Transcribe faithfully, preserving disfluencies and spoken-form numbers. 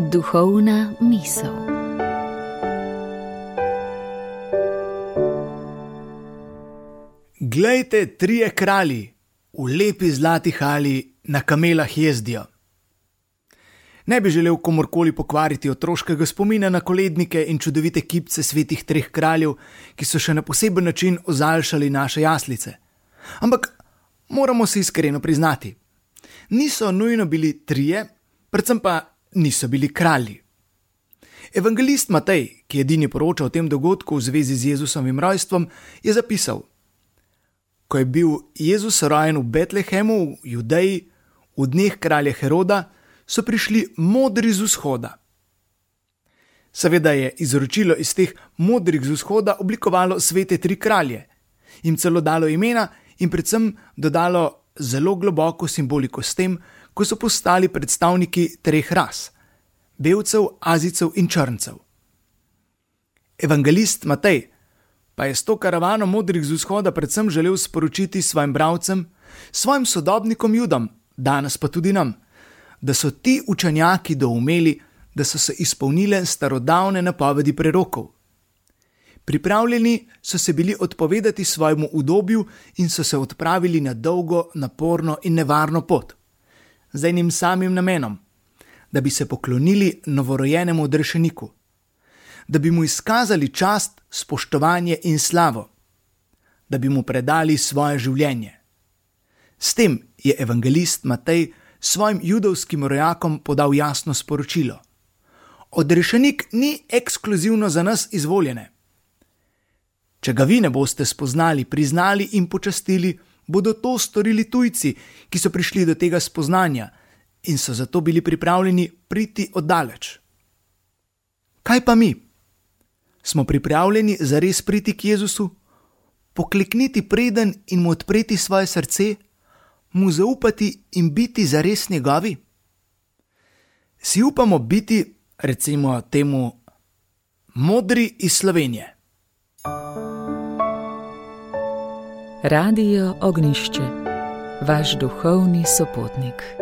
Duhovna misel. Glejte, trije kralji v lepi zlati halji na kamelah jezdijo. Ne bi želel komorkoli pokvariti otroškega spomina na kolednike in čudovite kipce svetih treh kraljev, ki so še na poseben način ozaljšali naše jaslice. Ampak moramo si iskreno priznati, niso nujno bili trije, predvsem pa niso bili kralji. Evangelist Matej, ki edini poroča o tem dogodku v zvezi z Jezusovim rojstvom, je zapisal: Ko je bil Jezus rojen v Betlehemu v Judeji, v dneh kralja Heroda, so prišli modri z vzhoda. Seveda je izročilo iz teh modrih z vzhoda oblikovalo svete tri kralje, jim celo dalo imena in predvsem dodalo zelo globoko simboliko s tem, ko so postali predstavniki treh ras: belcev, azijcev in črncev. Evangelist Matej pa je s to karavano modrih z vzhoda predvsem želel sporočiti svojim bralcem, svojim sodobnikom Judom, danes pa tudi nam, da so ti učenjaki doumeli, da so se izpolnile starodavne napovedi prerokov. Pripravljeni so se bili odpovedati svojemu udobju in so se odpravili na dolgo, naporno in nevarno pot, z enim samim namenom, da bi se poklonili novorojenemu odrešeniku, da bi mu izkazali čast, spoštovanje in slavo, da bi mu predali svoje življenje. S tem je evangelist Matej svojim judovskim rojakom podal jasno sporočilo: odrešenik ni ekskluzivno za nas izvoljene. Če ga vi ne boste spoznali, priznali in počastili, bodo to storili tujci, ki so prišli do tega spoznanja in so zato bili pripravljeni priti oddaleč. Kaj pa mi? Smo pripravljeni zares priti k Jezusu, poklekniti preden in mu odpreti svoje srce, mu zaupati in biti zares njegovi? Si upamo biti, recimo temu, modri iz Slovenije? Radio Ognjišče, vaš duhovni sopotnik.